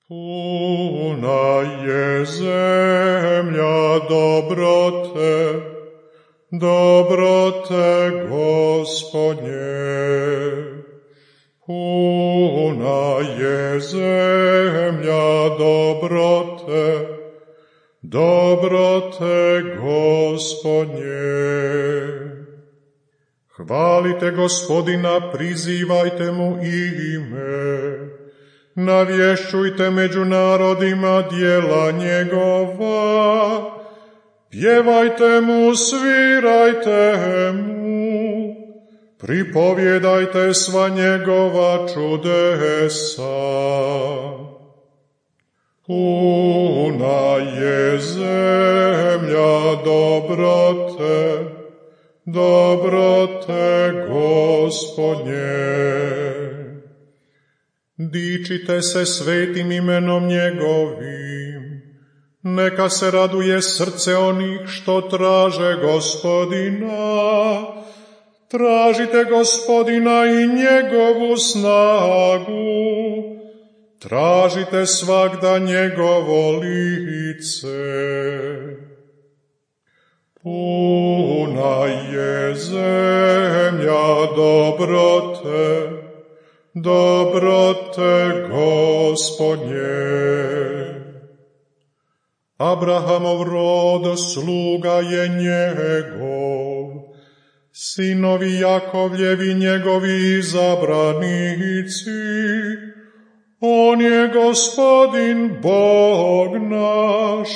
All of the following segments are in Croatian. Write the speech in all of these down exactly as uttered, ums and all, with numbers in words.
Puna je zemlja dobrote, dobrote Gospodnje. Puna je zemlja dobrote, dobrote Gospodnje. Hvalite Gospodina, prizivajte mu ime, navješćujte među narodima djela njegova, pjevajte mu, svirajte mu, pripovjedajte sva njegova čudesa. Puna je zemlja dobrote, dobrote Gospodnje. Dičite se svetim imenom njegovim, neka se raduje srce onih što traže Gospodina. Tražite Gospodina i njegovu snagu, tražite svagda njegovo lice. Puna je zemlja dobrote, dobrote Gospodnje. Abrahamov rod sluga je njegov, sinovi Jakovljevi njegovi izabranici. On je Gospodin Bog naš,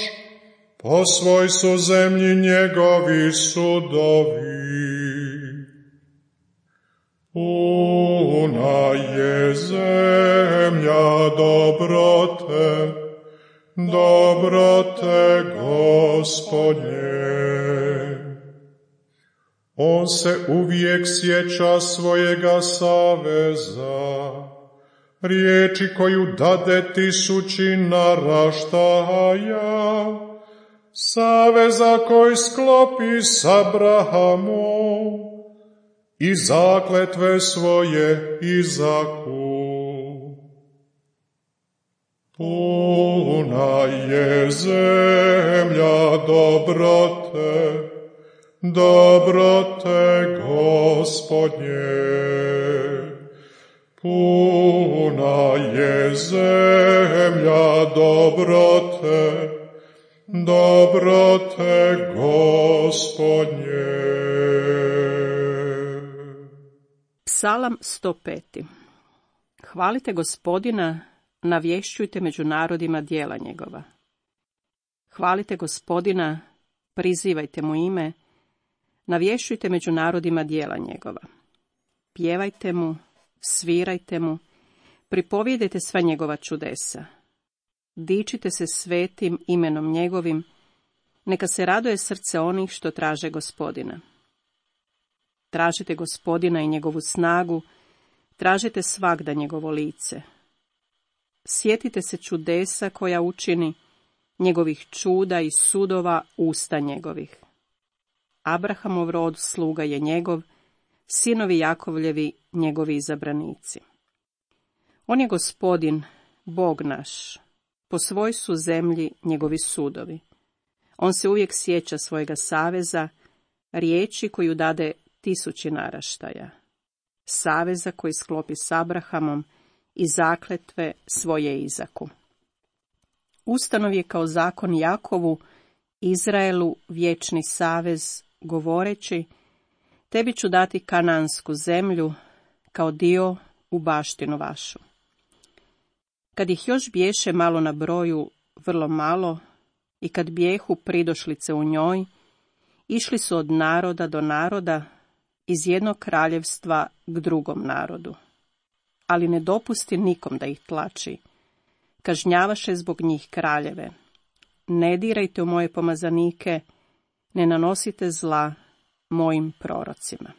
po svoj su zemlji njegovi sudovi. Puna je zemlja dobrote, dobrote Gospodnje. On se uvijek sjeća svojega saveza, riječi koju dade tisući naraštaja, saveza koji sklopi s Abrahamom i zakletve svoje Izaku. Puna je zemlja dobrote, dobrote Gospodnje. Puna je zemlja dobrote, dobrote Gospodnje. Psalam sto pet. Hvalite Gospodina, navješćujte među narodima djela njegova. Hvalite Gospodina, prizivajte mu ime, navješćujte među narodima djela njegova. Pjevajte mu, svirajte mu, pripovjedajte sva njegova čudesa. Dičite se svetim imenom njegovim, neka se raduje srce onih što traže Gospodina. Tražite Gospodina i njegovu snagu, tražite svagda njegovo lice. Sjetite se čudesa koja učini, njegovih čuda i sudova usta njegovih. Abrahamov rod sluga je njegov, sinovi Jakovljevi njegovi izabranici. On je Gospodin, Bog naš, po svoj su zemlji njegovi sudovi. On se uvijek sjeća svojega saveza, riječi koju dade tisući naraštaja, saveza koji sklopi s Abrahamom i zakletve svoje Izaku. Ustanov je kao zakon Jakovu, Izraelu vječni savez, govoreći, tebi ću dati kanansku zemlju kao dio u baštinu vašu. Kad ih još biješe malo na broju, vrlo malo, i kad bijehu pridošlice u njoj, išli su od naroda do naroda, iz jednog kraljevstva k drugom narodu. Ali ne dopusti nikom da ih tlači, kažnjavaše zbog njih kraljeve. Ne dirajte u moje pomazanike, ne nanosite zla mojim prorocima.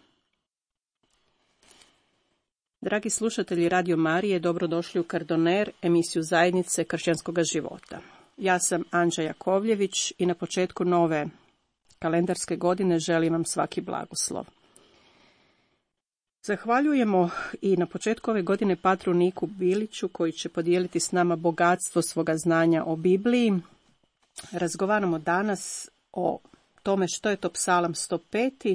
Dragi slušatelji Radio Marije, dobrodošli u Kardoner, emisiju zajednice kršćanskog života. Ja sam Anđa Jakovljević i na početku nove kalendarske godine želim vam svaki blagoslov. Zahvaljujemo i na početku ove godine patru Niku Biliću koji će podijeliti s nama bogatstvo svoga znanja o Bibliji. Razgovaramo danas o tome što je to psalam sto pet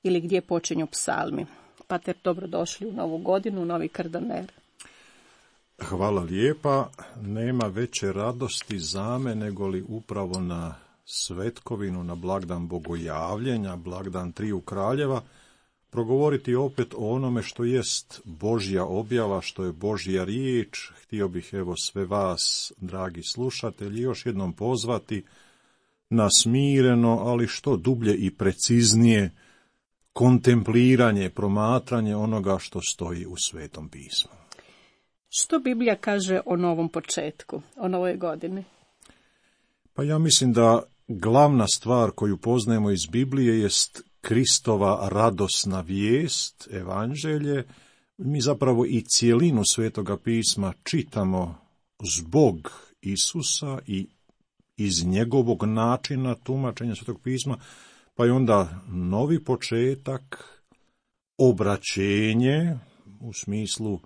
ili gdje počinju psalmi. Pater, dobrodošli u novu godinu, u novi Kardaner. Hvala lijepa. Nema veće radosti za me nego li upravo na svetkovinu, na blagdan Bogojavljenja, blagdan Triju kraljeva, progovoriti opet o onome što jest Božja objava, što je Božja riječ. Htio bih evo sve vas, dragi slušatelji, još jednom pozvati na smireno, ali što dublje i preciznije kontempliranje, promatranje onoga što stoji u Svetom pismu. Što Biblija kaže o novom početku, o novoj godini? Pa ja mislim da glavna stvar koju poznajemo iz Biblije jest Kristova radosna vijest, evanđelje. Mi zapravo i cijelinu Svetoga pisma čitamo zbog Isusa i iz njegovog načina tumačenja Svetog pisma, pa je onda novi početak, obraćenje u smislu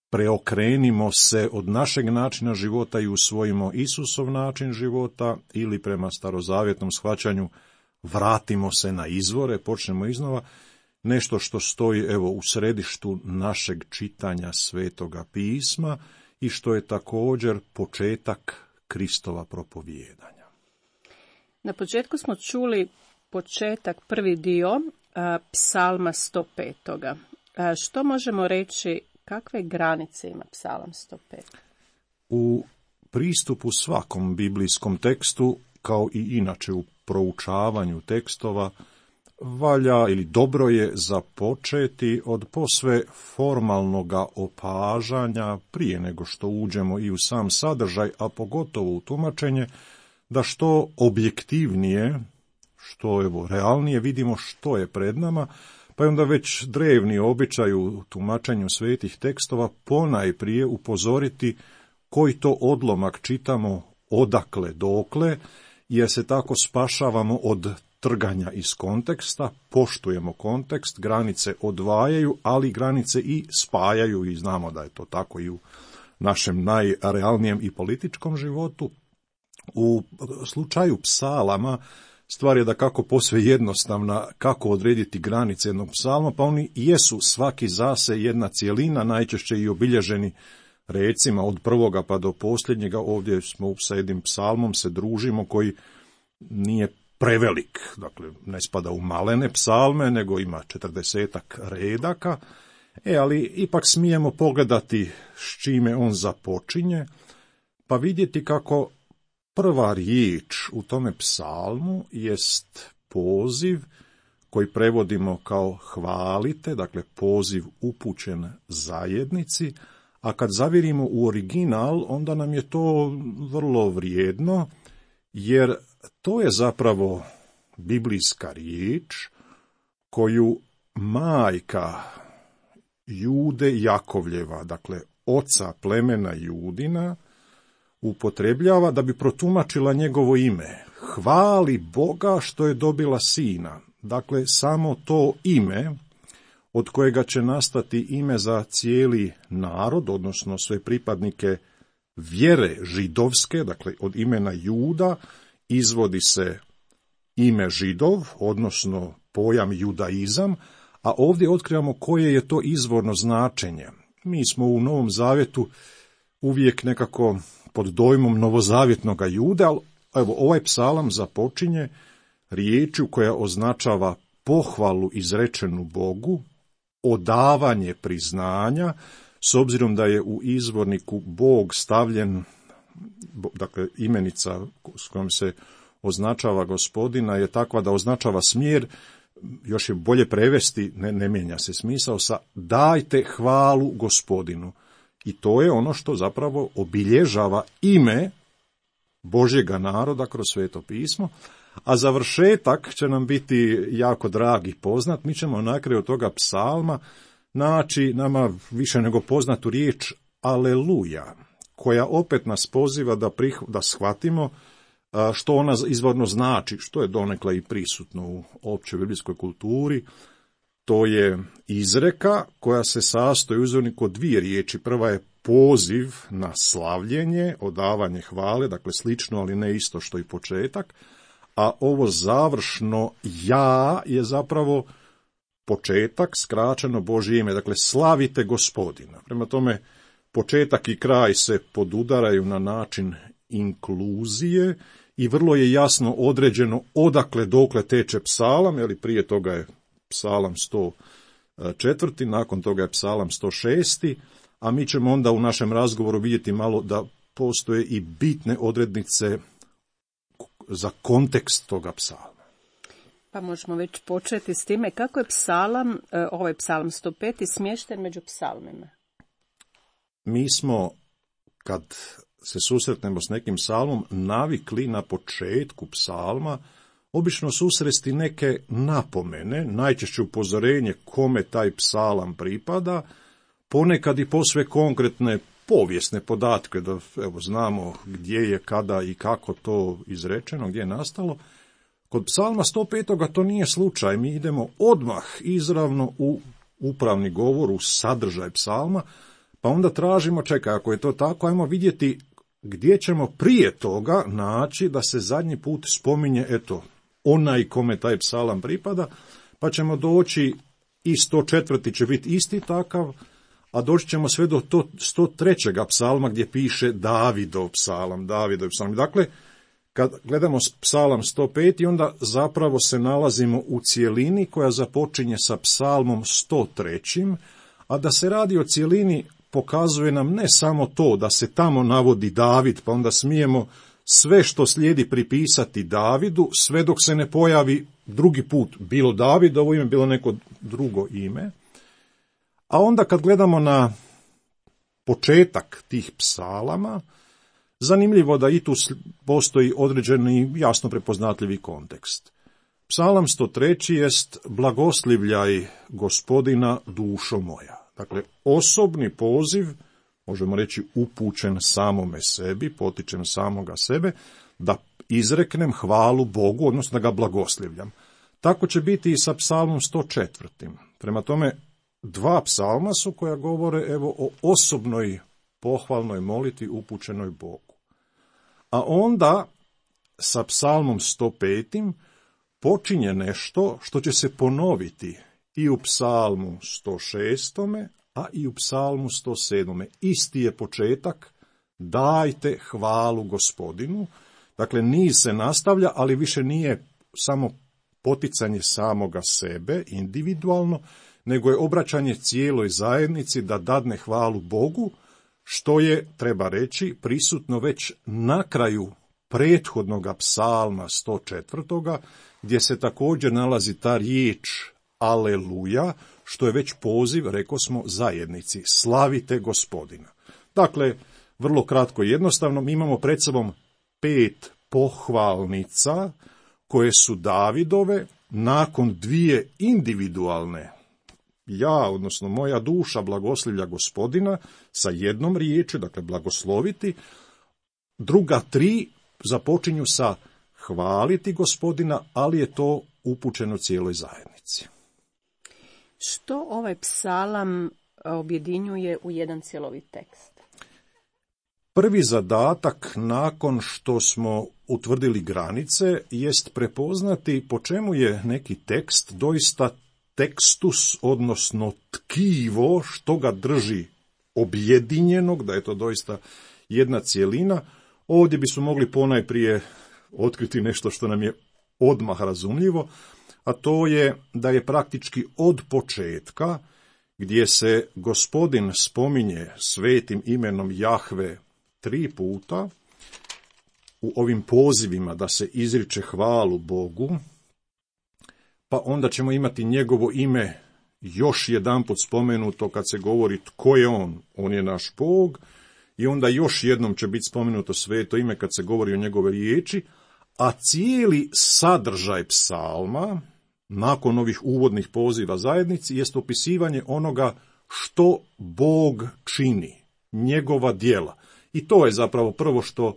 preokrenimo se od našeg načina života i usvojimo Isusov način života, ili prema starozavjetnom shvaćanju vratimo se na izvore, počnemo iznova, nešto što stoji evo u središtu našeg čitanja Svetoga pisma i što je također početak Kristova propovijedanja. Na početku smo čuli početak, prvi dio a, psalma sto pet. A, što možemo reći, kakve granice ima psalam sto pet? U pristupu svakom biblijskom tekstu, kao i inače u proučavanju tekstova, valja ili dobro je započeti od posve formalnoga opažanja prije nego što uđemo i u sam sadržaj, a pogotovo u tumačenje, da što objektivnije, što evo realnije vidimo što je pred nama, pa je onda već drevni običaj u tumačenju svetih tekstova ponajprije upozoriti koji to odlomak čitamo odakle dokle, jer se tako spašavamo od trganja iz konteksta, poštujemo kontekst, granice odvajaju, ali granice i spajaju i znamo da je to tako i u našem najrealnijem i političkom životu. U slučaju psalama stvar je da kako posve jednostavna kako odrediti granice jednog psalma, pa oni jesu svaki zase jedna cjelina, najčešće i obilježeni recima od prvoga pa do posljednjega. Ovdje smo sa jednim psalmom se družimo koji nije prevelik, dakle ne spada u malene psalme, nego ima četrdesetak redaka, e, ali ipak smijemo pogledati s čime on započinje, pa vidjeti kako prva riječ u tome psalmu jest poziv koji prevodimo kao hvalite, dakle poziv upućen zajednici, a kad zavirimo u original, onda nam je to vrlo vrijedno, jer to je zapravo biblijska riječ koju majka Jude Jakovljeva, dakle oca plemena Judina, upotrebljava da bi protumačila njegovo ime. Hvali Boga što je dobila sina. Dakle, samo to ime od kojega će nastati ime za cijeli narod, odnosno sve pripadnike vjere židovske, dakle od imena Juda, izvodi se ime Židov, odnosno pojam judaizam, a ovdje otkrivamo koje je to izvorno značenje. Mi smo u Novom Zavjetu uvijek nekako pod dojmom novozavjetnoga Juda, ali evo, ovaj psalam započinje riječju koja označava pohvalu izrečenu Bogu, odavanje priznanja, s obzirom da je u izvorniku Bog stavljen, dakle imenica s kojom se označava gospodina je takva da označava smjer, još je bolje prevesti, ne, ne mijenja se smisao, sa dajte hvalu gospodinu. I to je ono što zapravo obilježava ime Božjega naroda kroz Sveto pismo, a završetak će nam biti jako drag i poznat. Mi ćemo na kraju toga psalma naći nama više nego poznatu riječ aleluja, koja opet nas poziva da, prih, da shvatimo što ona izvorno znači, što je donekle i prisutno u općoj biblijskoj kulturi. To je izreka koja se sastoji u uzorniku od dvije riječi. Prva je poziv na slavljenje, odavanje hvale, dakle slično, ali ne isto što i početak, a ovo završno ja je zapravo početak, skraćeno Božje ime, dakle slavite Gospodina. Prema tome, početak i kraj se podudaraju na način inkluzije i vrlo je jasno određeno odakle dokle teče psalam, jer prije toga je psalam sto četiri, nakon toga je psalam sto šest, a mi ćemo onda u našem razgovoru vidjeti malo da postoje i bitne odrednice za kontekst toga psalma. Pa možemo već početi s time kako je psalam, ovaj psalam sto pet smješten među psalmima. Mi smo, kad se susretnemo s nekim psalmom, navikli na početku psalma obično susresti neke napomene, najčešće upozorenje kome taj psalam pripada, ponekad i posve konkretne povijesne podatke, da evo, znamo gdje je, kada i kako to izrečeno, gdje je nastalo. Kod psalma sto pet. to nije slučaj, mi idemo odmah izravno u upravni govor, u sadržaj psalma, pa onda tražimo, čekaj, ako je to tako, ajmo vidjeti gdje ćemo prije toga naći da se zadnji put spominje, eto, onaj kome taj psalam pripada, pa ćemo doći i sto četvrti će biti isti takav, a doći ćemo sve do sto trećeg psalma gdje piše Davidov psalam, Davidov psalam. Dakle, kad gledamo psalam sto pet, onda zapravo se nalazimo u cjelini koja započinje sa psalmom sto tri, a da se radi o cjelini pokazuje nam ne samo to da se tamo navodi David, pa onda smijemo sve što slijedi pripisati Davidu, sve dok se ne pojavi drugi put, bilo Davidovo ime, bilo neko drugo ime. A onda kad gledamo na početak tih psalama, zanimljivo da i tu postoji određeni jasno prepoznatljivi kontekst. Psalam sto tri jest blagoslivljaj Gospodina dušo moja. Dakle, osobni poziv, možemo reći upućen samome sebi, potičem samoga sebe, da izreknem hvalu Bogu, odnosno da ga blagoslivljam. Tako će biti i sa psalmom sto četiri. Prema tome, dva psalma su koja govore evo o osobnoj pohvalnoj molitvi upućenoj Bogu. A onda sa psalmom sto pet počinje nešto što će se ponoviti i u psalmu sto šest, a i u psalmu sto sedam. Isti je početak, dajte hvalu Gospodinu. Dakle, niz se nastavlja, ali više nije samo poticanje samoga sebe, individualno, nego je obraćanje cijeloj zajednici da dadne hvalu Bogu, što je, treba reći, prisutno već na kraju prethodnog psalma sto četiri, gdje se također nalazi ta riječ Aleluja, što je već poziv, rekao smo, zajednici, slavite Gospodina. Dakle, vrlo kratko i jednostavno, mi imamo pred sobom pet pohvalnica koje su Davidove nakon dvije individualne. Ja, odnosno moja duša blagoslivlja Gospodina sa jednom riječju, dakle blagosloviti. Druga tri započinju sa hvaliti Gospodina, ali je to upućeno cijeloj zajednici. Što ovaj psalam objedinjuje u jedan cjelovit tekst? Prvi zadatak nakon što smo utvrdili granice jest prepoznati po čemu je neki tekst doista tekstus, odnosno tkivo, što ga drži objedinjenog, da je to doista jedna cjelina. Ovdje bismo mogli ponajprije otkriti nešto što nam je odmah razumljivo, a to je da je praktički od početka, gdje se Gospodin spominje svetim imenom Jahve tri puta, u ovim pozivima da se izriče hvalu Bogu, pa onda ćemo imati njegovo ime još jedanput spomenuto kad se govori tko je on, on je naš Bog, i onda još jednom će biti spomenuto sveto ime kad se govori o njegove riječi, a cijeli sadržaj psalma, nakon ovih uvodnih poziva zajednici, jest opisivanje onoga što Bog čini, njegova djela. I to je zapravo prvo što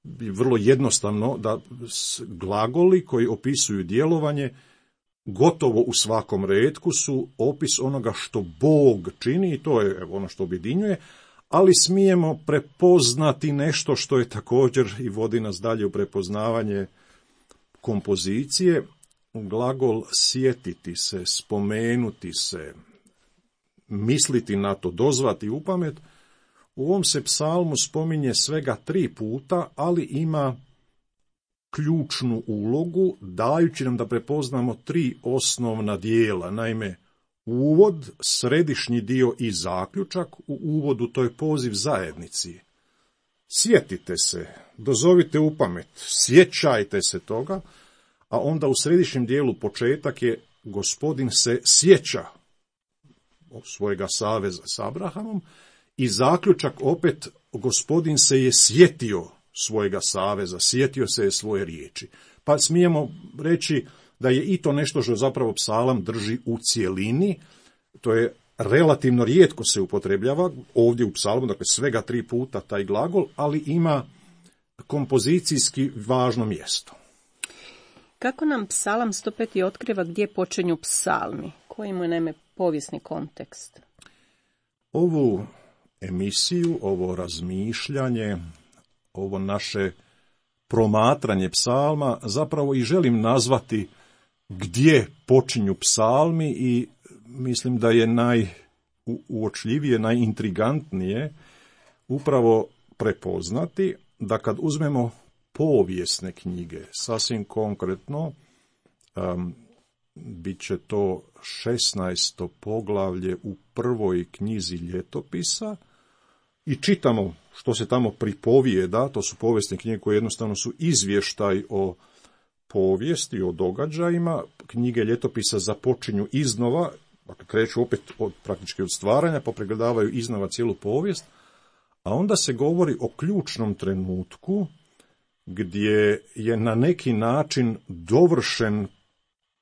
je vrlo jednostavno, da glagoli koji opisuju djelovanje gotovo u svakom retku su opis onoga što Bog čini i to je ono što objedinjuje, ali smijemo prepoznati nešto što je također i vodi nas dalje u prepoznavanje kompozicije. Glagol sjetiti se, spomenuti se, misliti na to, dozvati u pamet, u ovom se psalmu spominje svega tri puta, ali ima ključnu ulogu, dajući nam da prepoznamo tri osnovna dijela. Naime, uvod, središnji dio i zaključak. U uvodu to je poziv zajednici. Sjetite se, dozovite u pamet, sjećajte se toga, a onda u središnjem dijelu početak je Gospodin se sjeća svojega saveza s Abrahamom i zaključak opet Gospodin se je sjetio svojega saveza, sjetio se je svoje riječi. Pa smijemo reći da je i to nešto što zapravo psalam drži u cjelini, to je relativno rijetko se upotrebljava ovdje u psalmu, dakle svega tri puta taj glagol, ali ima kompozicijski važno mjesto. Kako nam psalam sto pet otkriva gdje počinju psalmi? Koji mu je naime povijesni kontekst? Ovu emisiju, ovo razmišljanje, ovo naše promatranje psalma zapravo i želim nazvati gdje počinju psalmi i mislim da je najuočljivije, najintrigantnije upravo prepoznati da kad uzmemo povijesne knjige, sasvim konkretno, um, bit će to šesnaesto poglavlje u prvoj knjizi ljetopisa i čitamo što se tamo pripovijeda, to su povijesne knjige koje jednostavno su izvještaj o povijesti, o događajima. Knjige ljetopisa započinju iznova, dakle kreću opet od, praktički od stvaranja, pa pregledavaju iznova cijelu povijest, a onda se govori o ključnom trenutku gdje je na neki način dovršen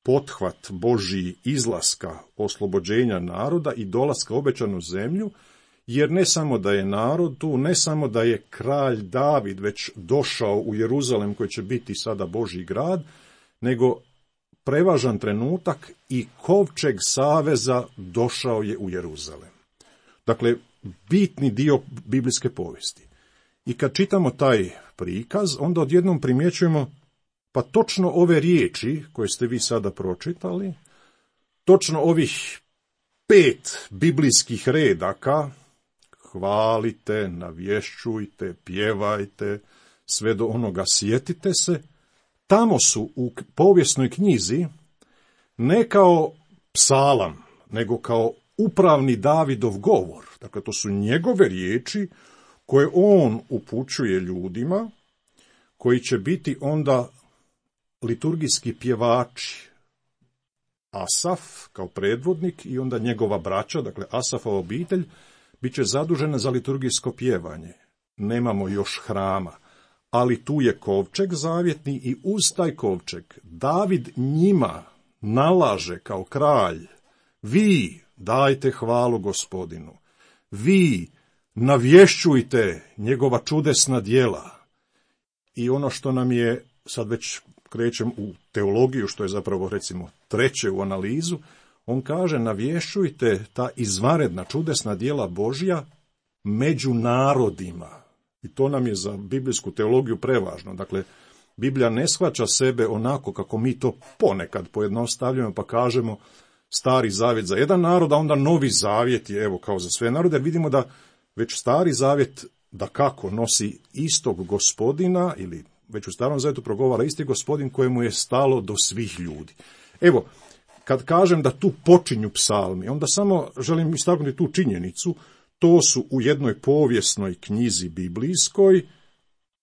pothvat Božji izlaska, oslobođenja naroda i dolaska u obećanu zemlju, jer ne samo da je narod tu, ne samo da je kralj David već došao u Jeruzalem koji će biti sada Božji grad, nego prevažan trenutak i kovčeg saveza došao je u Jeruzalem. Dakle, bitni dio biblijske povijesti. I kad čitamo taj prikaz, onda odjednom primjećujemo pa točno ove riječi koje ste vi sada pročitali, točno ovih pet biblijskih redaka, hvalite, navješćujte, pjevajte, sve do onoga sjetite se, tamo su u povijesnoj knjizi ne kao psalam, nego kao upravni Davidov govor. Dakle, to su njegove riječi koje on upućuje ljudima, koji će biti onda liturgijski pjevači. Asaf kao predvodnik i onda njegova braća, dakle Asafova obitelj, bit će zadužena za liturgijsko pjevanje. Nemamo još hrama, ali tu je kovčeg zavjetni i uz taj kovčeg David njima nalaže kao kralj: vi dajte hvalu Gospodinu, vi navješćujte njegova čudesna djela. I ono što nam je, sad već krećem u teologiju, što je zapravo recimo treće u analizu, on kaže: navješćujte ta izvanredna čudesna djela Božja među narodima. I to nam je za biblijsku teologiju prevažno. Dakle, Biblija ne shvaća sebe onako kako mi to ponekad pojednostavljamo pa kažemo Stari zavjet za jedan narod, a onda Novi zavjet je evo kao za sve narode. Vidimo da već Stari zavjet da kako nosi istog Gospodina, ili već u Starom zavjetu progovara isti Gospodin kojemu je stalo do svih ljudi. Evo, kad kažem da tu počinju psalmi, onda samo želim istaknuti tu činjenicu. To su u jednoj povijesnoj knjizi biblijskoj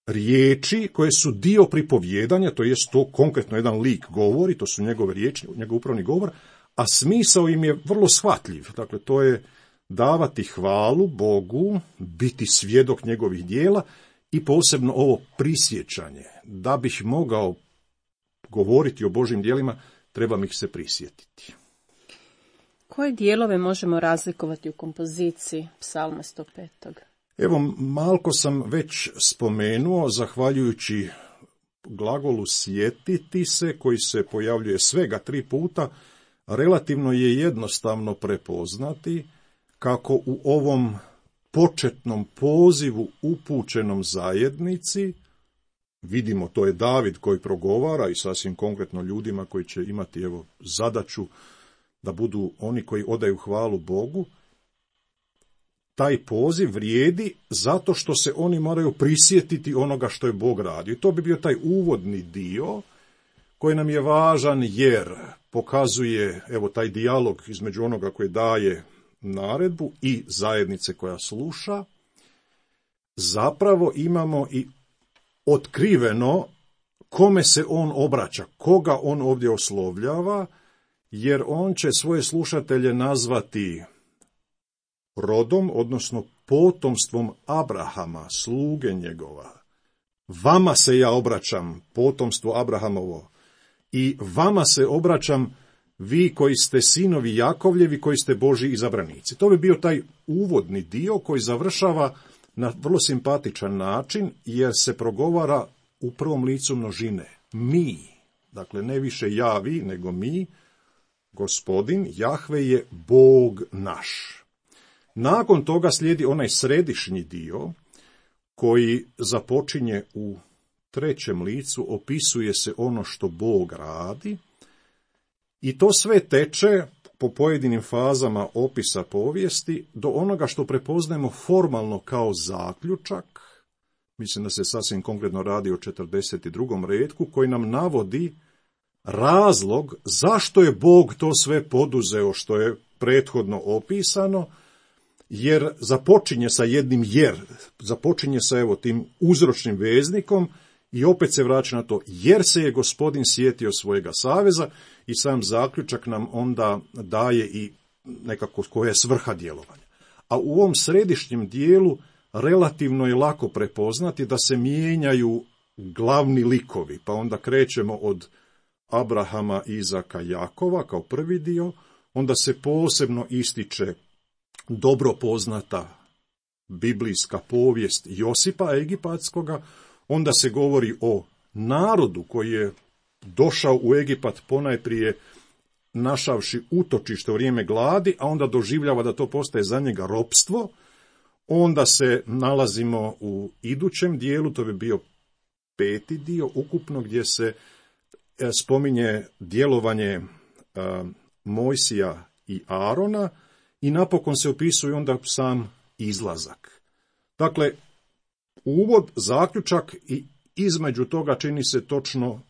riječi koje su dio pripovjedanja, to jest to konkretno jedan lik govori, to su njegove riječi, njegov upravni govor, a smisao im je vrlo shvatljiv. Dakle, to je davati hvalu Bogu, biti svjedok njegovih djela i posebno ovo prisjećanje. Da bih mogao govoriti o Božjim djelima, trebam ih se prisjetiti. Koje dijelove možemo razlikovati u kompoziciji psalma sto pet? Evo, malko sam već spomenuo, zahvaljujući glagolu sjetiti se, koji se pojavljuje svega tri puta, relativno je jednostavno prepoznati kako u ovom početnom pozivu upućenom zajednici, vidimo, to je David koji progovara i sasvim konkretno ljudima koji će imati evo zadaću da budu oni koji odaju hvalu Bogu, taj poziv vrijedi zato što se oni moraju prisjetiti onoga što je Bog radio. I to bi bio taj uvodni dio koji nam je važan jer pokazuje evo taj dijalog između onoga koji daje naredbu i zajednice koja sluša. Zapravo imamo i otkriveno kome se on obraća, koga on ovdje oslovljava, jer on će svoje slušatelje nazvati rodom, odnosno potomstvom Abrahama, sluge njegova. Vama se ja obraćam, potomstvo Abrahamovo, i vama se obraćam, vi koji ste sinovi Jakovljevi, koji ste Božji izabranici. To bi bio taj uvodni dio koji završava na vrlo simpatičan način, jer se progovara u prvom licu množine. Mi, dakle ne više ja, vi, nego mi, Gospodin, Jahve je Bog naš. Nakon toga slijedi onaj središnji dio koji započinje u trećem licu, opisuje se ono što Bog radi i to sve teče po pojedinim fazama opisa povijesti do onoga što prepoznajemo formalno kao zaključak. Mislim da se sasvim konkretno radi o četrdeset drugom retku koji nam navodi razlog zašto je Bog to sve poduzeo što je prethodno opisano, jer započinje sa jednim jer, započinje sa evo tim uzročnim veznikom i opet se vraća na to jer se je Gospodin sjetio svojega saveza i sam zaključak nam onda daje i nekako koja je svrha djelovanja. A u ovom središnjem dijelu relativno je lako prepoznati da se mijenjaju glavni likovi, pa onda krećemo od Abrahama, Izaka, Jakova kao prvi dio, onda se posebno ističe dobro poznata biblijska povijest Josipa Egipatskoga, onda se govori o narodu koji je došao u Egipat ponajprije našavši utočište u vrijeme gladi, a onda doživljava da to postaje za njega ropstvo. Onda se nalazimo u idućem dijelu, to bi bio peti dio ukupno, gdje se spominje djelovanje Mojsija i Arona i napokon se opisuje onda sam izlazak. Dakle, uvod, zaključak i između toga čini se točno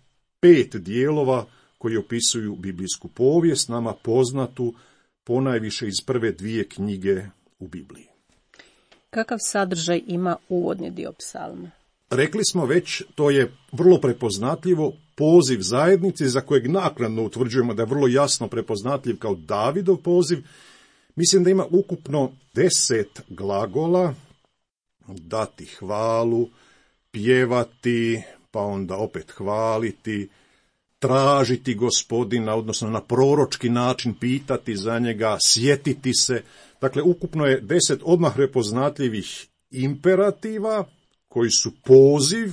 pet dijelova koji opisuju biblijsku povijest, nama poznatu ponajviše iz prve dvije knjige u Bibliji. Kakav sadržaj ima uvodni dio psalma? Rekli smo već, to je vrlo prepoznatljivo, poziv zajednici za kojeg naknadno utvrđujemo da je vrlo jasno prepoznatljiv kao Davidov poziv. Mislim da ima ukupno deset glagola: dati hvalu, pjevati, pa onda opet hvaliti, tražiti Gospodina, odnosno na proročki način pitati za njega, sjetiti se. Dakle, ukupno je deset odmah prepoznatljivih imperativa koji su poziv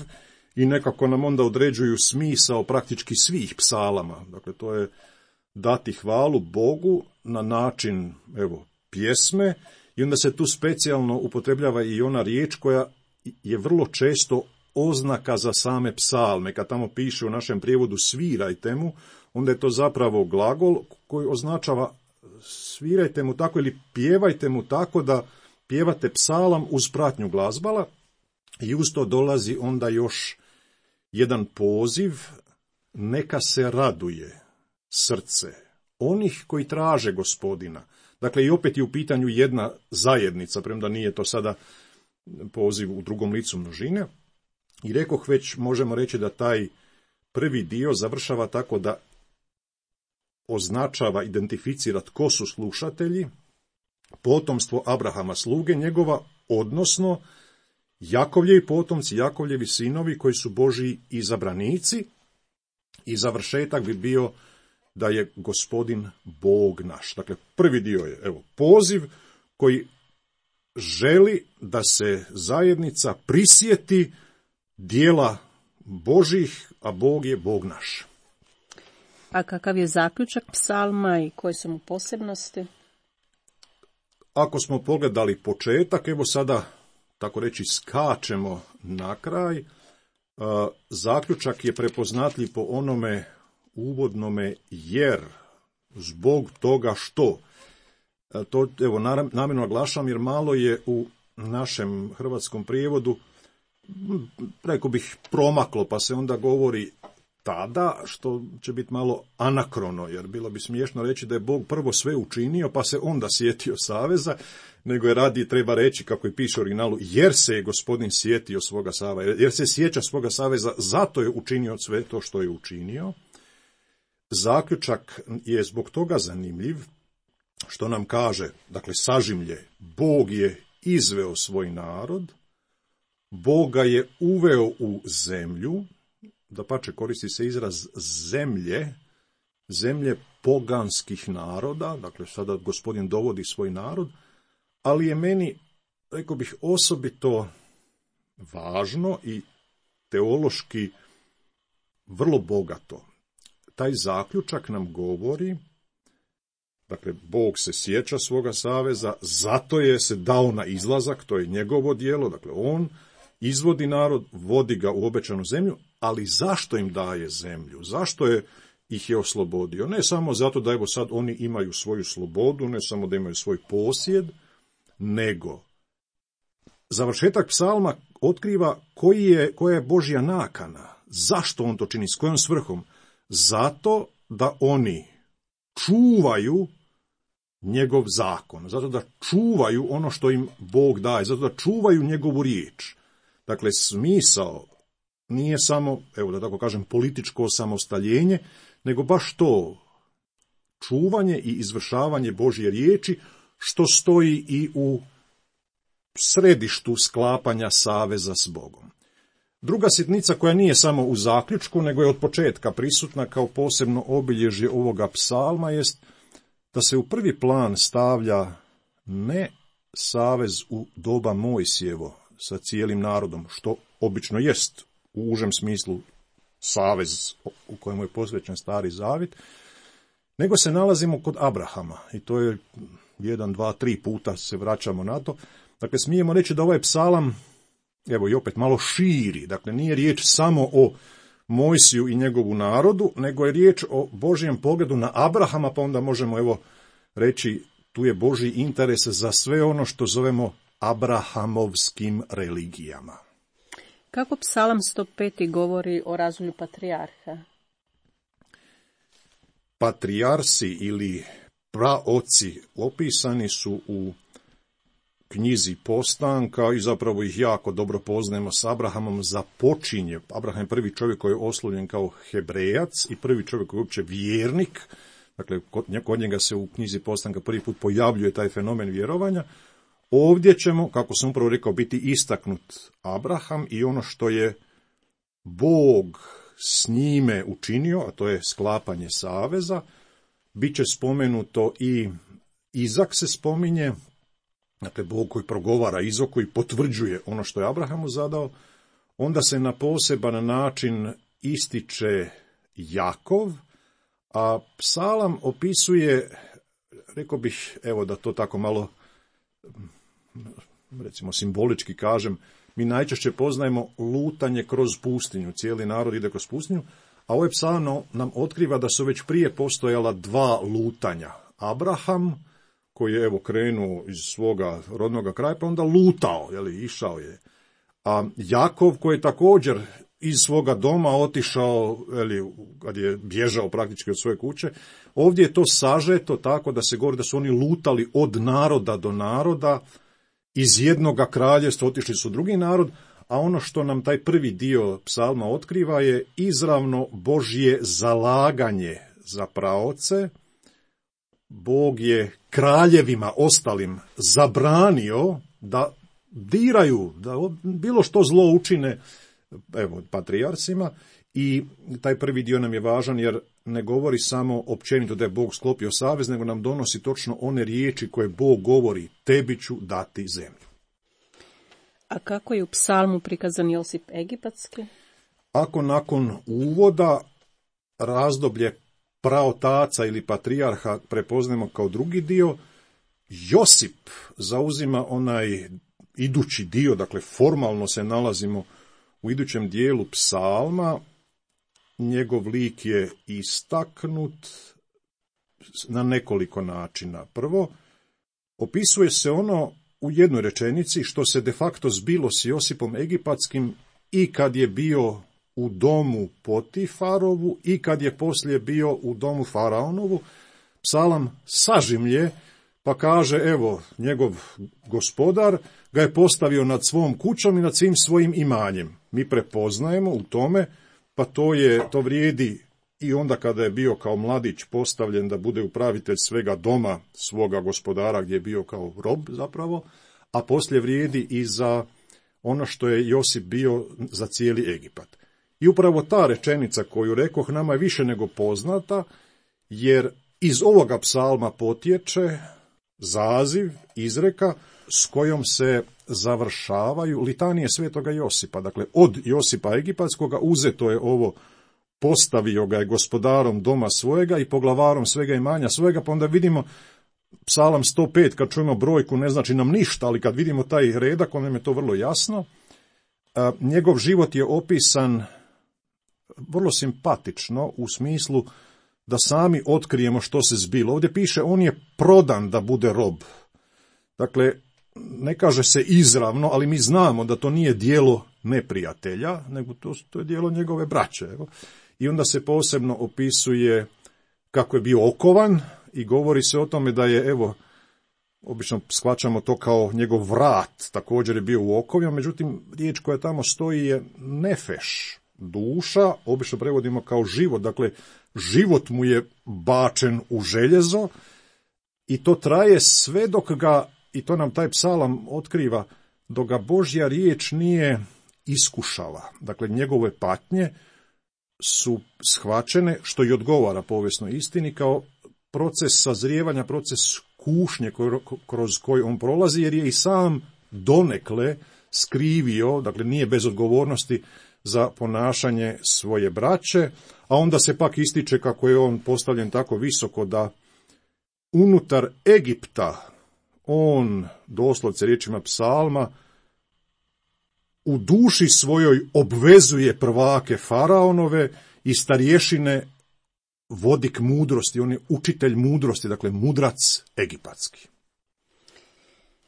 i nekako nam onda određuju smisao praktički svih psalama. Dakle, to je dati hvalu Bogu na način, evo, pjesme, i onda se tu specijalno upotrebljava i ona riječ koja je vrlo često oznaka za same psalme. Kad tamo piše u našem prijevodu svirajte mu, onda je to zapravo glagol koji označava svirajte mu tako ili pjevajte mu tako da pjevate psalam uz pratnju glazbala, i uz to dolazi onda još jedan poziv: neka se raduje srce onih koji traže Gospodina. Dakle, i opet je u pitanju jedna zajednica, premda nije to sada poziv u drugom licu množine. I rekoh već, možemo reći da taj prvi dio završava tako da označava, identificira tko su slušatelji, potomstvo Abrahama, sluge njegova, odnosno Jakovljevi potomci, Jakovljevi sinovi koji su Božji izabranici, i završetak bi bio da je Gospodin Bog naš. Dakle, prvi dio je evo poziv koji želi da se zajednica prisjeti dijela Božih, a Bog je Bog naš. A kakav je zaključak psalma i koje su mu posebnosti? Ako smo pogledali početak, evo sada, tako reći, skačemo na kraj. Zaključak je prepoznatljiv po onome uvodnome jer, zbog toga što. To, evo, namjerno naglašavam jer malo je u našem hrvatskom prijevodu, rekao bih, promaklo, pa se onda govori tada, što će biti malo anakrono, jer bilo bi smiješno reći da je Bog prvo sve učinio, pa se onda sjetio saveza, nego je radi, treba reći, kako je piše u originalu, jer se je Gospodin sjetio svoga saveza, jer se sjeća svoga saveza, zato je učinio sve to što je učinio. Zaključak je zbog toga zanimljiv, što nam kaže, dakle, sažimlje, Bog je izveo svoj narod, Bog ga je uveo u zemlju, dapače koristi se izraz zemlje, zemlje poganskih naroda, dakle sada Gospodin dovodi svoj narod, ali je meni, rekao bih, osobito važno i teološki vrlo bogato. Taj zaključak nam govori, dakle, Bog se sjeća svoga saveza, zato je se dao na izlazak, to je njegovo djelo, dakle, on izvodi narod, vodi ga u obećanu zemlju, ali zašto im daje zemlju? Zašto je ih je oslobodio? Ne samo zato da evo sad oni imaju svoju slobodu, ne samo da imaju svoj posjed, nego završetak psalma otkriva koji je, koja je Božja nakana. Zašto on to čini? S kojom svrhom? Zato da oni čuvaju njegov zakon, zato da čuvaju ono što im Bog daje, zato da čuvaju njegovu riječ. Dakle, smisao nije samo, evo da tako kažem, političko osamostaljenje, nego baš to, čuvanje i izvršavanje Božje riječi, što stoji i u središtu sklapanja saveza s Bogom. Druga sitnica koja nije samo u zaključku, nego je od početka prisutna kao posebno obilježje ovoga psalma, jest da se u prvi plan stavlja ne savez u doba Mojsijevo sa cijelim narodom, što obično jest u užem smislu savez u kojemu je posvećen Stari Zavjet, nego se nalazimo kod Abrahama i to je jedan, dva, tri puta se vraćamo na to. Dakle, smijemo reći da ovaj psalam, evo i opet malo širi, dakle nije riječ samo o Mojsiju i njegovu narodu, nego je riječ o Božjem pogledu na Abrahama, pa onda možemo evo reći tu je Božji interes za sve ono što zovemo abrahamovskim religijama. Kako psalam sto pet govori o razvoju patrijarha? Patrijarsi ili praoci opisani su u knjizi Postanka i zapravo ih jako dobro poznajemo s Abrahamom. Započinje, Abraham je prvi čovjek koji je oslovljen kao Hebrejac i prvi čovjek koji je uopće vjernik, dakle kod njega se u knjizi Postanka prvi put pojavljuje taj fenomen vjerovanja. Ovdje ćemo, kako sam upravo rekao, biti istaknut Abraham i ono što je Bog s njime učinio, a to je sklapanje saveza. Biće spomenuto i Izak se spominje, dakle Bog koji progovara, Izak koji potvrđuje ono što je Abrahamu zadao. Onda se na poseban način ističe Jakov, a psalam opisuje, rekao bih, evo da to tako malo, recimo simbolički kažem, mi najčešće poznajemo lutanje kroz pustinju, cijeli narod ide kroz pustinju, a ovaj psalam nam otkriva da su već prije postojala dva lutanja. Abraham, koji je evo krenuo iz svoga rodnog kraja, pa onda lutao, jeli, išao je. A Jakov, koji je također iz svoga doma otišao, jeli, kad je bježao praktički od svoje kuće, ovdje je to sažeto tako da se govori da su oni lutali od naroda do naroda, iz jednoga kraljevstva otišli su drugi narod, a ono što nam taj prvi dio psalma otkriva je izravno Božje zalaganje za praoce. Bog je kraljevima ostalim zabranio da diraju, da bilo što zlo učine, evo, patrijarcima, i taj prvi dio nam je važan jer ne govori samo općenito da je Bog sklopio savez, nego nam donosi točno one riječi koje Bog govori, tebi ću dati zemlju. A kako je u psalmu prikazan Josip Egipatski? ako nakon uvoda razdoblje praotaca ili patrijarha prepoznajemo kao drugi dio, Josip zauzima onaj idući dio, dakle formalno se nalazimo u idućem dijelu psalma, njegov lik je istaknut na nekoliko načina. Prvo, opisuje se ono u jednoj rečenici što se de facto zbilo s Josipom Egipatskim i kad je bio u domu Potifarovu i kad je poslije bio u domu Faraonovu. Psalam sažimlje pa kaže, evo, njegov gospodar ga je postavio nad svom kućom i nad svim svojim imanjem. Mi prepoznajemo u tome, pa to je, to vrijedi i onda kada je bio kao mladić postavljen da bude upravitelj svega doma svoga gospodara gdje je bio kao rob zapravo, a poslije vrijedi i za ono što je Josip bio za cijeli Egipat. I upravo ta rečenica koju rekoh nama je više nego poznata, jer iz ovoga psalma potječe zaziv, izreka s kojom se završavaju litanije svetoga Josipa. Dakle, od Josipa Egipatskoga uzeto je ovo, postavio ga je gospodarom doma svojega i poglavarom svega imanja svojega, pa onda vidimo psalam sto pet, kad čujemo brojku ne znači nam ništa, ali kad vidimo taj redak, onda je to vrlo jasno. A, njegov život je opisan vrlo simpatično u smislu da sami otkrijemo što se zbilo. Ovdje piše, on je prodan da bude rob. Dakle, ne kaže se izravno, ali mi znamo da to nije djelo neprijatelja, nego to, to je djelo njegove braće. Evo. I onda se posebno opisuje kako je bio okovan i govori se o tome da je, evo, obično shvaćamo to kao njegov vrat, također je bio u okovima, međutim, riječ koja tamo stoji je nefeš, duša, obično prevodimo kao život, dakle, život mu je bačen u željezo i to traje sve dok ga, i to nam taj psalam otkriva, dok ga Božja riječ nije iskušala. Dakle, njegove patnje su shvaćene, što i odgovara povijesnoj istini, kao proces sazrijevanja, proces kušnje kroz koji on prolazi, jer je i sam donekle skrivio, dakle nije bez odgovornosti za ponašanje svoje braće, a onda se pak ističe kako je on postavljen tako visoko da unutar Egipta on, doslovce riječima psalma, u duši svojoj obvezuje prvake faraonove i starješine vodik mudrosti, on je učitelj mudrosti, dakle mudrac egipatski.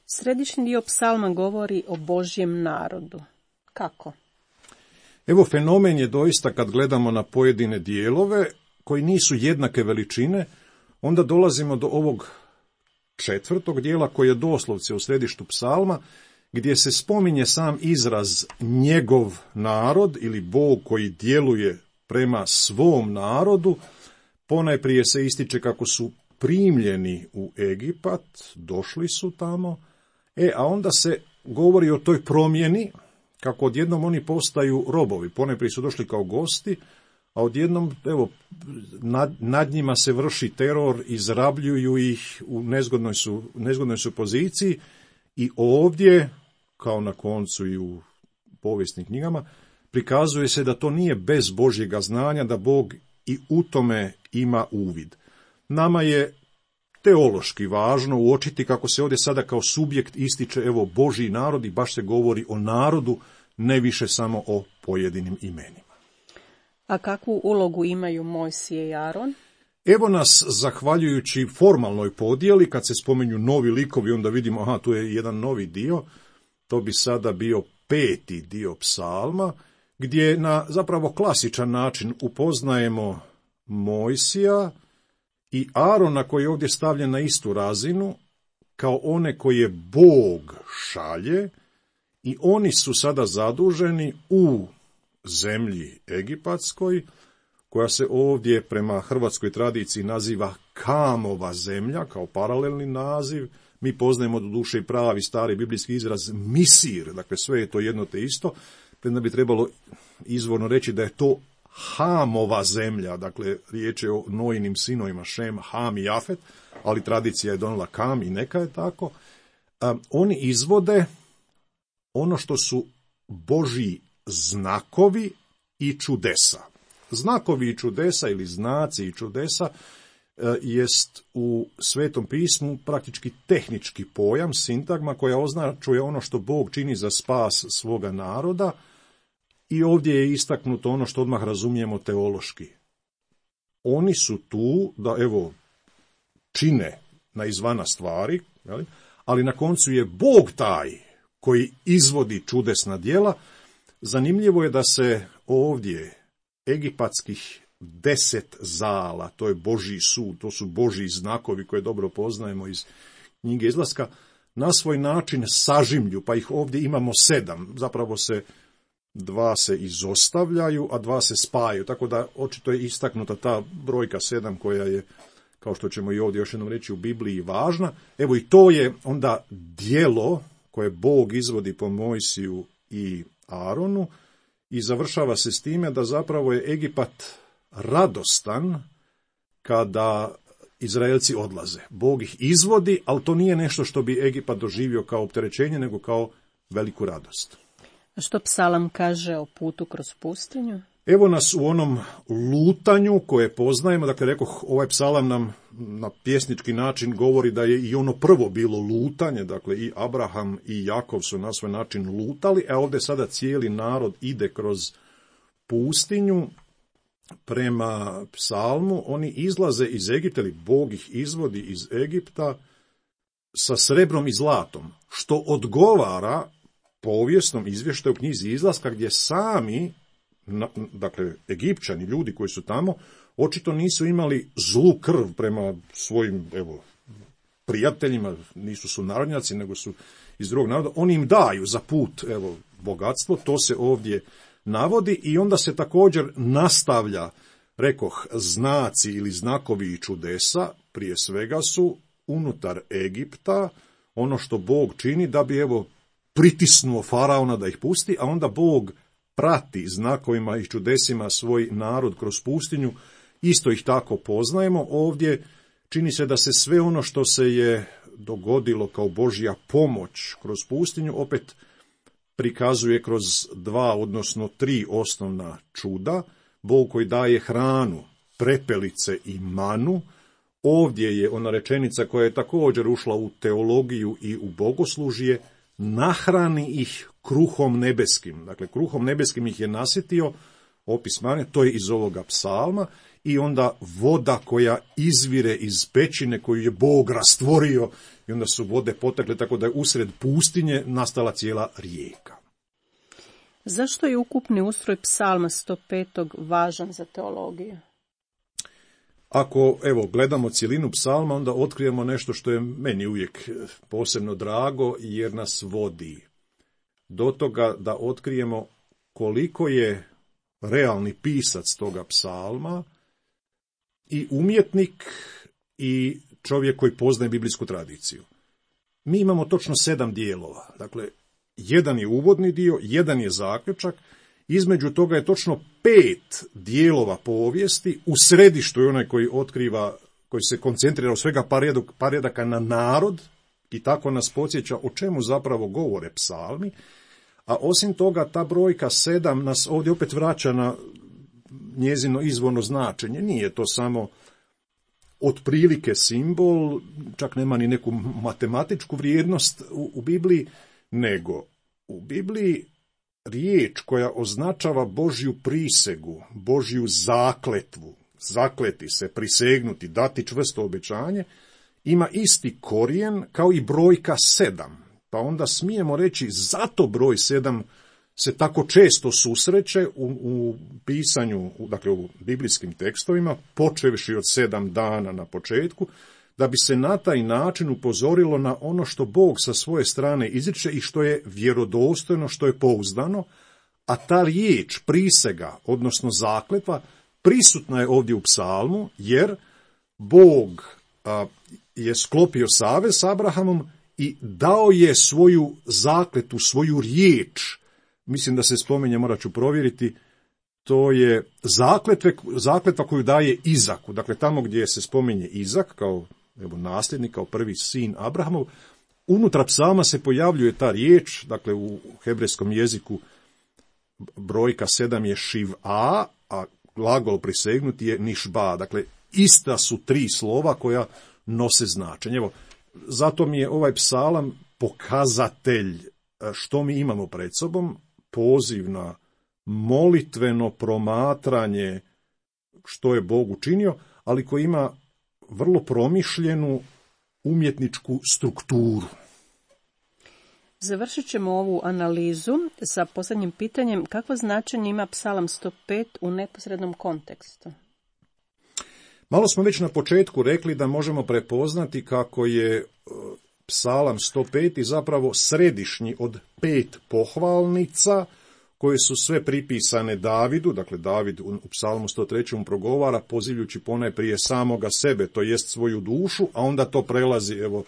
Središnji dio psalma govori o Božjem narodu. Kako? Evo, fenomen je doista kad gledamo na pojedine dijelove koji nisu jednake veličine, onda dolazimo do ovog četvrtog dijela koji je doslovce u središtu psalma, gdje se spominje sam izraz njegov narod ili Bog koji djeluje prema svom narodu. Ponajprije se ističe kako su primljeni u Egipat, došli su tamo, e, a onda se govori o toj promjeni, kako odjednom oni postaju robovi. Ponajprije su došli kao gosti, a odjednom, evo, nad, nad njima se vrši teror, izrabljuju ih, u nezgodnoj su, nezgodnoj su poziciji i ovdje, kao na koncu i u povijesnim knjigama, prikazuje se da to nije bez Božjega znanja, da Bog i u tome ima uvid. Nama je teološki važno uočiti kako se ovdje sada kao subjekt ističe, evo, Božji narod i baš se govori o narodu, ne više samo o pojedinim imenima. A kakvu ulogu imaju Mojsije i Aron? Evo nas, zahvaljujući formalnoj podjeli, kad se spomenju novi likovi, onda vidimo, aha, tu je jedan novi dio, to bi sada bio peti dio psalma, gdje na zapravo klasičan način upoznajemo Mojsija i Arona koji je ovdje stavljen na istu razinu, kao one koje Bog šalje, i oni su sada zaduženi u zemlji egipatskoj, koja se ovdje prema hrvatskoj tradiciji naziva Kamova zemlja, kao paralelni naziv. Mi poznajemo do duše i pravi stari biblijski izraz Misir, dakle sve je to jedno te isto, premda bi trebalo izvorno reći da je to Hamova zemlja, dakle riječ je o Nojinim sinovima Šem, Ham i Jafet, ali tradicija je donijela Kam i neka je tako. A, oni izvode ono što su Božji znakovi i čudesa. Znakovi i čudesa ili znaci i čudesa jest u Svetom pismu praktički tehnički pojam, sintagma koja označuje ono što Bog čini za spas svoga naroda i ovdje je istaknuto ono što odmah razumijemo teološki. Oni su tu da, evo, čine na izvana stvari, jeli? Ali na koncu je Bog taj koji izvodi čudesna djela. Zanimljivo je da se ovdje egipatskih deset zala, to je Božji sud, to su Božji znakovi koje dobro poznajemo iz knjige Izlaska, na svoj način sažimlju, pa ih ovdje imamo sedam. Zapravo se dva se izostavljaju, a dva se spajaju, tako da očito je istaknuta ta brojka sedam koja je, kao što ćemo i ovdje još jednom reći, u Bibliji važna. Evo i to je onda djelo koje Bog izvodi po Mojsiju i Aronu i završava se s time da zapravo je Egipat radostan kada Izraelci odlaze. Bog ih izvodi, ali to nije nešto što bi Egipat doživio kao opterećenje, nego kao veliku radost. A što psalam kaže o putu kroz pustinju? Evo nas u onom lutanju koje poznajemo, dakle rekoh, ovaj psalam nam na pjesnički način govori da je i ono prvo bilo lutanje, dakle i Abraham i Jakov su na svoj način lutali, a ovdje sada cijeli narod ide kroz pustinju prema psalmu. Oni izlaze iz Egipta, ili Bog ih izvodi iz Egipta sa srebrom i zlatom, što odgovara povijesnom izvještaju u knjizi Izlaska, gdje sami, dakle, Egipćani, ljudi koji su tamo, očito nisu imali zlu krv prema svojim, evo, prijateljima, nisu sunarodnjaci, nego su iz drugog naroda. Oni im daju za put, evo, bogatstvo, to se ovdje navodi i onda se također nastavlja, rekoh, znaci ili znakovi i čudesa, prije svega su unutar Egipta, ono što Bog čini da bi, evo, pritisnuo faraona da ih pusti, a onda Bog prati znakovima i čudesima svoj narod kroz pustinju, isto ih tako poznajemo. Ovdje čini se da se sve ono što se je dogodilo kao Božja pomoć kroz pustinju opet prikazuje kroz dva, odnosno tri osnovna čuda. Bog koji daje hranu, prepelice i manu. Ovdje je ona rečenica koja je također ušla u teologiju i u bogoslužje, nahrani ih kruhom nebeskim. Dakle, kruhom nebeskim ih je nasjetio, opis mane, to je iz ovoga psalma, i onda voda koja izvire iz pećine koju je Bog rastvorio, i onda su vode potekle tako da je usred pustinje nastala cijela rijeka. Zašto je ukupni ustroj psalma sto pet. važan za teologiju? Ako, evo, gledamo cjelinu psalma, onda otkrijemo nešto što je meni uvijek posebno drago, jer nas vodi do toga da otkrijemo koliko je realni pisac toga psalma i umjetnik i čovjek koji poznaje biblijsku tradiciju. Mi imamo točno sedam dijelova. Dakle, jedan je uvodni dio, jedan je zaključak, između toga je točno pet dijelova povijesti, u središtu je onaj koji otkriva, koji se koncentrira u svega par redaka na narod i tako nas podsjeća o čemu zapravo govore psalmi, a osim toga ta brojka sedam nas ovdje opet vraća na njezino izvorno značenje. Nije to samo otprilike simbol, čak nema ni neku matematičku vrijednost u, u Bibliji, nego u Bibliji riječ koja označava Božju prisegu, Božju zakletvu, zakleti se, prisegnuti, dati čvrsto obećanje, ima isti korijen kao i brojka sedam. Pa onda smijemo reći zato broj sedam se tako često susreće u, u pisanju, dakle u biblijskim tekstovima, počevši od sedam dana na početku, da bi se na taj način upozorilo na ono što Bog sa svoje strane izriče i što je vjerodostojno, što je pouzdano, a ta riječ, prisega, odnosno zakletva, prisutna je ovdje u psalmu, jer Bog a, je sklopio savez s Abrahamom i dao je svoju zakletu, svoju riječ. Mislim da se spominje, morat ću provjeriti, to je zakletve, zakletva koju daje Izaku. Dakle, tamo gdje se spominje Izak kao, evo, nasljednik, kao prvi sin Abrahamov, unutar psalma se pojavljuje ta riječ, dakle u hebrejskom jeziku brojka sedam je šiv-a, a glagol prisegnuti je nišba. Dakle, ista su tri slova koja nose značenje. Evo, zato mi je ovaj psalam pokazatelj što mi imamo pred sobom, poziv na molitveno promatranje što je Bog učinio, ali koji ima vrlo promišljenu umjetničku strukturu. Završit ćemo ovu analizu sa posljednjim pitanjem. Kakvo značenje ima psalam sto pet u neposrednom kontekstu? Malo smo već na početku rekli da možemo prepoznati kako je psalam sto pet zapravo središnji od pet pohvalnica koje su sve pripisane Davidu. Dakle, David u psalmu sto tri progovara pozivljući ponajprije samoga sebe, to jest svoju dušu, a onda to prelazi evo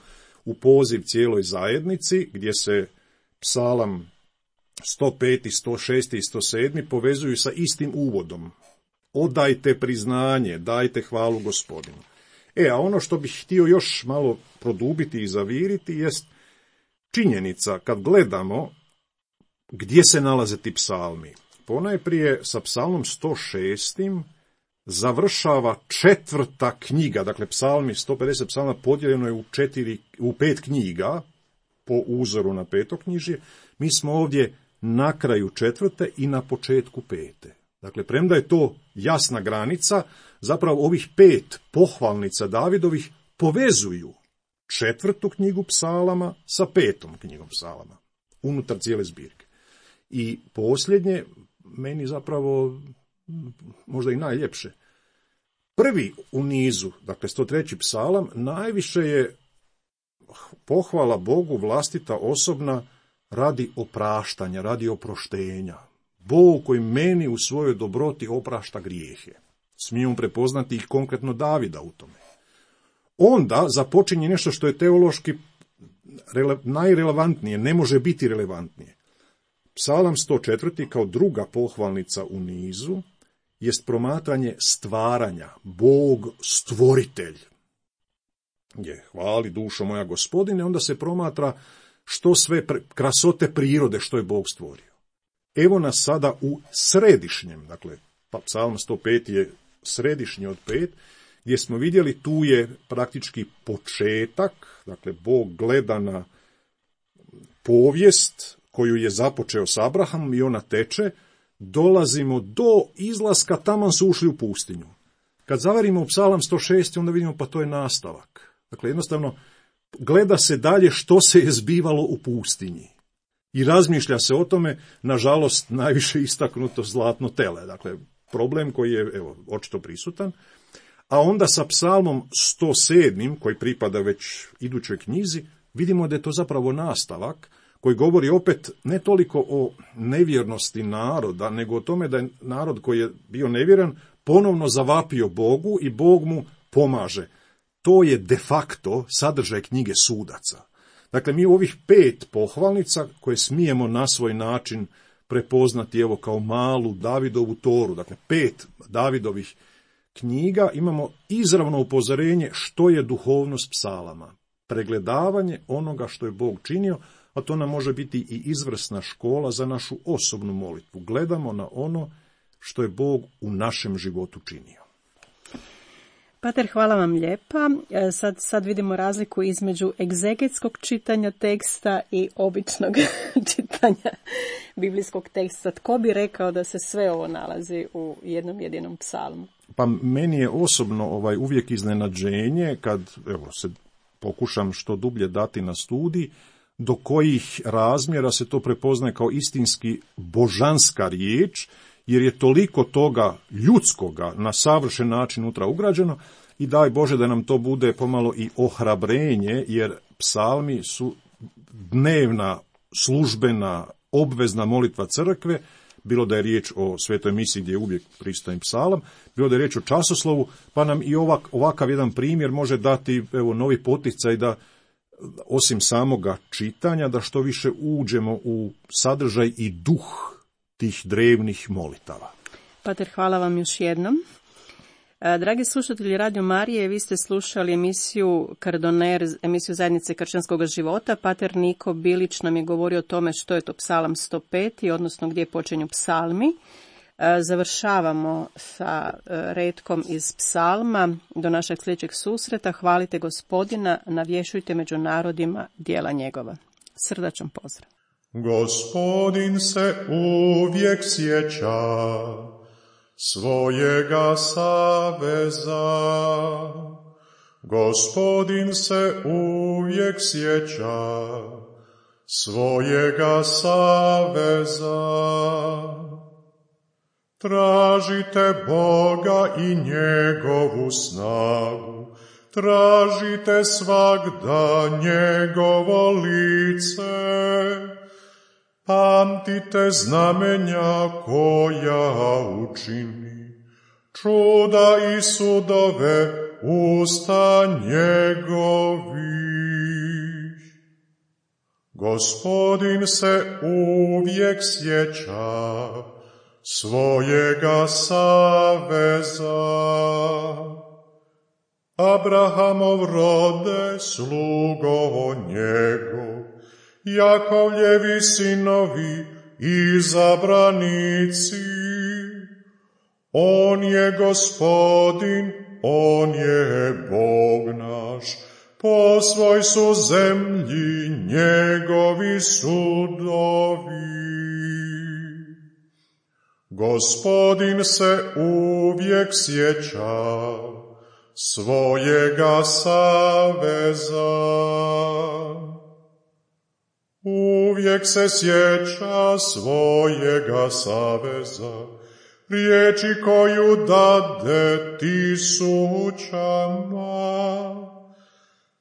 u poziv cijeloj zajednici, gdje se psalam sto pet, sto šest i sto sedam povezuju sa istim uvodom. Odajte priznanje, dajte hvalu Gospodinu. E, a ono što bih htio još malo produbiti i zaviriti jest činjenica kad gledamo gdje se nalaze ti psalmi. Ponajprije sa psalmom sto šest završava četvrta knjiga, dakle psalmi sto pedeset psalma podijeljeno je u, četiri, u pet knjiga po uzoru na petoknjižje. Mi smo ovdje na kraju četvrte i na početku pete. Dakle, premda je to jasna granica, zapravo ovih pet pohvalnica Davidovih povezuju četvrtu knjigu psalama sa petom knjigom psalama, unutar cijele zbirke. I posljednje, meni zapravo možda i najljepše. Prvi u nizu, dakle sto treći psalam, najviše je pohvala Bogu vlastita osobna radi opraštanja, radi oproštenja. Bog koji meni u svojoj dobroti oprašta grijehe. Smijemo prepoznati ih konkretno Davida u tome. Onda započinje nešto što je teološki rele, najrelevantnije, ne može biti relevantnije. Psalam sto četiri kao druga pohvalnica u nizu jest promatranje stvaranja, Bog stvoritelj. Je, hvali dušo moja Gospodine, onda se promatra što sve krasote prirode što je Bog stvorio. Evo nas sada u središnjem, dakle, pa psalam sto pet je središnji od pet, gdje smo vidjeli tu je praktički početak, dakle, Bog gleda na povijest koju je započeo s Abrahamom i ona teče, dolazimo do izlaska, taman su ušli u pustinju. Kad zavarimo u psalam sto šest, onda vidimo pa to je nastavak. Dakle, jednostavno, gleda se dalje što se je zbivalo u pustinji. I razmišlja se o tome, nažalost, najviše istaknuto zlatno tele. Dakle, problem koji je, evo, očito prisutan. A onda sa psalmom sto sedam, koji pripada već idućoj knjizi, vidimo da je to zapravo nastavak, koji govori opet ne toliko o nevjernosti naroda, nego o tome da je narod koji je bio nevjeran ponovno zavapio Bogu i Bog mu pomaže. To je de facto sadržaj knjige Sudaca. Dakle, mi u ovih pet pohvalnica koje smijemo na svoj način prepoznati evo kao malu Davidovu toru, dakle pet Davidovih knjiga, imamo izravno upozorenje što je duhovnost psalama. Pregledavanje onoga što je Bog činio, a to nam može biti i izvrsna škola za našu osobnu molitvu. Gledamo na ono što je Bog u našem životu činio. Pater, hvala vam lijepa. Sad, sad vidimo razliku između egzegetskog čitanja teksta i običnog čitanja biblijskog teksta. Tko bi rekao da se sve ovo nalazi u jednom jedinom psalmu? Pa meni je osobno ovaj uvijek iznenađenje kad evo, se pokušam što dublje dati na studij, do kojih razmjera se to prepoznaje kao istinski božanska riječ, jer je toliko toga ljudskoga na savršen način unutra ugrađeno i daj Bože da nam to bude pomalo i ohrabrenje, jer psalmi su dnevna, službena, obvezna molitva crkve, bilo da je riječ o svetoj misiji gdje je uvijek prisutan psalam, bilo da je riječ o časoslovu, pa nam i ovak, ovakav jedan primjer može dati evo, novi poticaj da osim samoga čitanja, da što više uđemo u sadržaj i duh tih drevnih molitava. Pater, hvala vam još jednom. Dragi slušatelji Radio Marije, vi ste slušali emisiju Kardoner, emisiju Zajednice kršćanskog života. Pater Niko Bilić nam je govorio o tome što je to Psalam sto pet, odnosno gdje počinju psalmi. Završavamo sa retkom iz psalma do našeg sljedećeg susreta. Hvalite Gospodina, navješujte među narodima djela njegova. Srdačan pozdrav. Gospodin se uvijek sjeća svojega saveza. Gospodin se uvijek sjeća svojega saveza. Tražite Boga i njegovu snagu, tražite svagda njegovo lice, pamtite znamenja koja učini, čuda i sudove usta njegovih. Gospodin se uvijek sjeća svojega saveza. Abrahamov rode, slugo njegov, Jakovljevi sinovi, izabranici. On je Gospodin, on je Bog naš, po svoj su zemlji njegovi sudovi. Gospodin se uvijek sjeća svojega saveza. Uvijek se sjeća svojega saveza, riječi koju dade tisućama.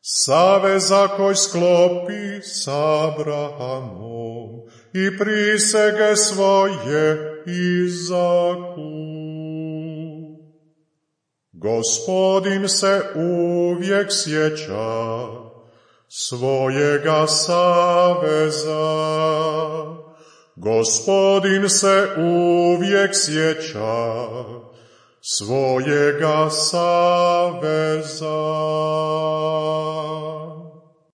Saveza koji sklopi s Abrahamom i prisege svoje izaku. Gospodin se uvijek sjeća svojega saveza. Gospodin se uvijek sjeća svojega saveza.